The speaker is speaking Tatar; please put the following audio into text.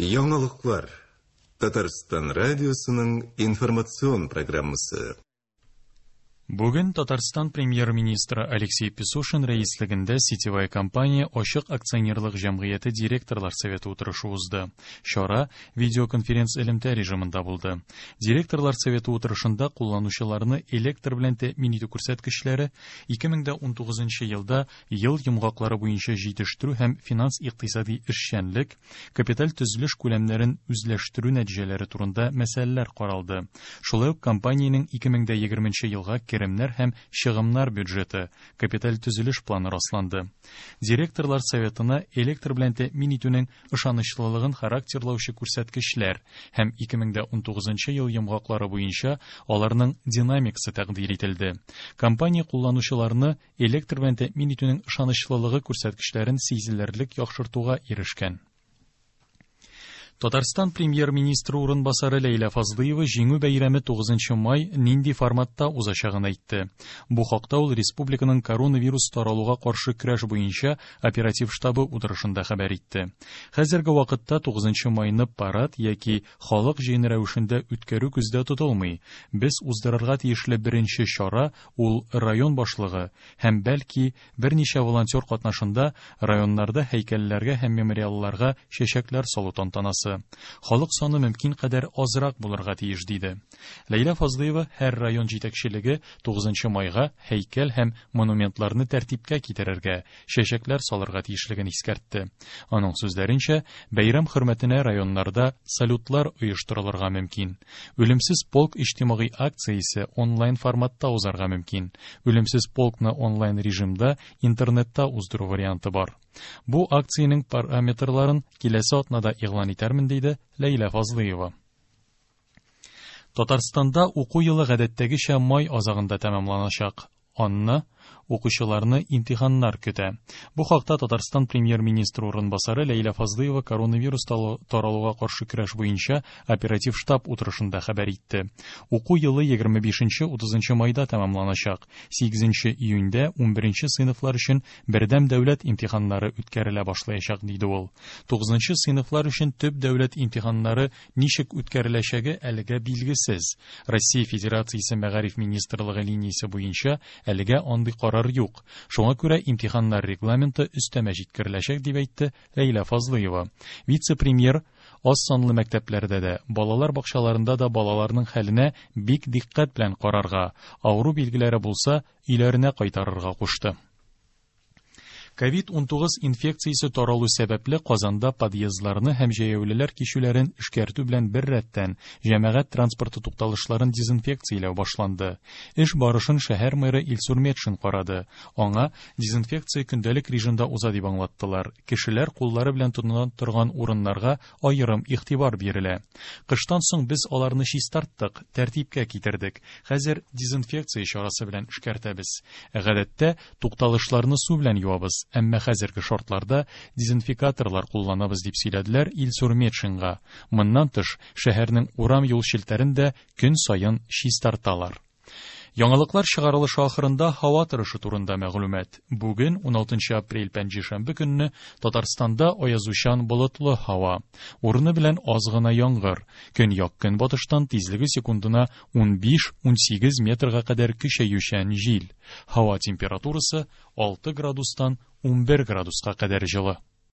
Яңалыклар. Татарстан радиосының информацион программасы. Бүген Татарстан премьер-министры Алексей Песошин рәислегендә Сетевая компания ачык акционерлык җәмгыяте директорлар советы утырышы узды. Чара видеоконференц-элемтә режимында булды. Директорлар советы утырышында кулланучыларны электр белән тәэмин итү күрсәткечләре, 2019 елда ел йомгаклары буенча җитештерү һәм финанс-икътисади эшчәнлек, капиталь төзелеш күләмнәрен үзләштерү нәтиҗәләре турында мәсьәләләр каралды. Шулай ук компаниянең 2020 елга керемнәр һәм чыгымнар бюджеты, капиталь төзелеш планы расланды. Директорлар советына электр белән тәэмин итүнең ышанычлылыгын характерлаучы күрсәткечләр һәм 2019 ел йомгаклары буенча аларның динамикасы тәкъдир ителде. Компания кулланучыларны электр белән тәэмин итүнең ышанычлылыгы күрсәткечләрен сизелерлек яхшыртуга ирешкән. Татарстан премьер-министры урынбасары Ләйлә Фазлыева Җиңү бәйрәме 9 май нинди форматта узачагын әйтте. Бу хакта ул республиканың коронавирус таралуга каршы көрәш буенча оператив штабы утырышында хәбәр итте. Хәзерге вакытта 9 майны парад яки халык җыены рәвешендә үткәрү күздә тотылмый. Без уздырырга тиешле беренче чара ул район башлыгы һәм бәлки берничә волонтер катнашында районнарда һәйкәлләргә һәм мемориалларга чәчәкләр салу тантанасы. Халык саны мөмкин кадәр азрак булырга тиеш, диде. Ләйлә Фазлыева һәр район җитәкчелеге 9 майга һәйкәл һәм монументларны тәртипкә китерергә, чәчәкләр салырга тиешлеген искәртте. Аның сүзләренчә, бәйрәм хөрмәтенә районнарда салютлар оештырылырга мөмкин. Үлемсез полк иҗтимагый акциясе онлайн форматта узарга мөмкин. Үлемсез полкны онлайн режимда интернетта уздыру варианты бар. Бу акциянең параметрларын киләсе атнада игълан итәрмен, диде Ләйлә Фазлыева. Татарстанда уку елы гадәттәгечә май азагында тәмамланачак. Анны укучыларны имтиханнар көтә. Бу хакта Татарстан премьер-министры урынбасары Ләйлә Фазлыева коронавирус таралуга каршы көрәш буенча оператив штаб утырышында хәбәр итте. Уку елы 25-30 майда тәмамланачак. 8 июньдә 11 сыйныфлар өчен бердәм дәүләт имтиханнары үткәрелә башлаячак, диде ул. 9 сыйныфлар өчен төп дәүләт имтиханнары ничек үткәреләчәге әлегә билгесез. Россия Федерациясе Мәгариф министрлыгы линиясе буенча әлегә андый карар юк. Шуңа күрә имтиханнар регламенты өстәмә җиткереләчәк, дип әйтте Ләйлә Фазлыева. Вице-премьер аз санлы мәктәпләрдә дә, балалар бакчаларында да балаларның хәленә бик дикъкать белән карарга, авыру билгеләре булса, өйләренә кайтарырга кушты. Ковид-19 инфекциясе таралу сәбәпле Казанда подъездларны һәм җәяүлеләр кичүләрен эшкәртү белән беррәттән җәмәгать транспорты тукталышларын дезинфекцияләү башланды. Эш барышын шәһәр мэры Илсур Метшин карады. Аңа дезинфекция көндәлек режимда уза дип аңлаттылар. Кешеләр куллары белән тотына торган урыннарга аерым игътибар бирелә. Кыштан соң без аларны чистарттык, тәртипкә китердек. Хәзер дезинфекция чарасы белән эшкәртәбез. Гадәттә, тукталышларны су белән юабыз, әмма хәзерге шартларда дезинфикаторлар кулланабыз, дип сөйләделәр Илсур Метшинга. Моннан тыш, шәһәрнең урам юл челтәрен дә көн саен чистарталар. Яңалыклар чыгарылышы ахырында һава торышы турында мәгълүмат. Бүген, 16 апрель пәнҗешәмбе көнне, Татарстанда аязучан болытлы һава. Урыны белән аз гына яңгыр. Көньяк-көнбатыштан тизлеге секундына 15-18 метрга кадәр көчәючән җил. Һава температурасы 6 градустан 11 градуска кадәр җылы.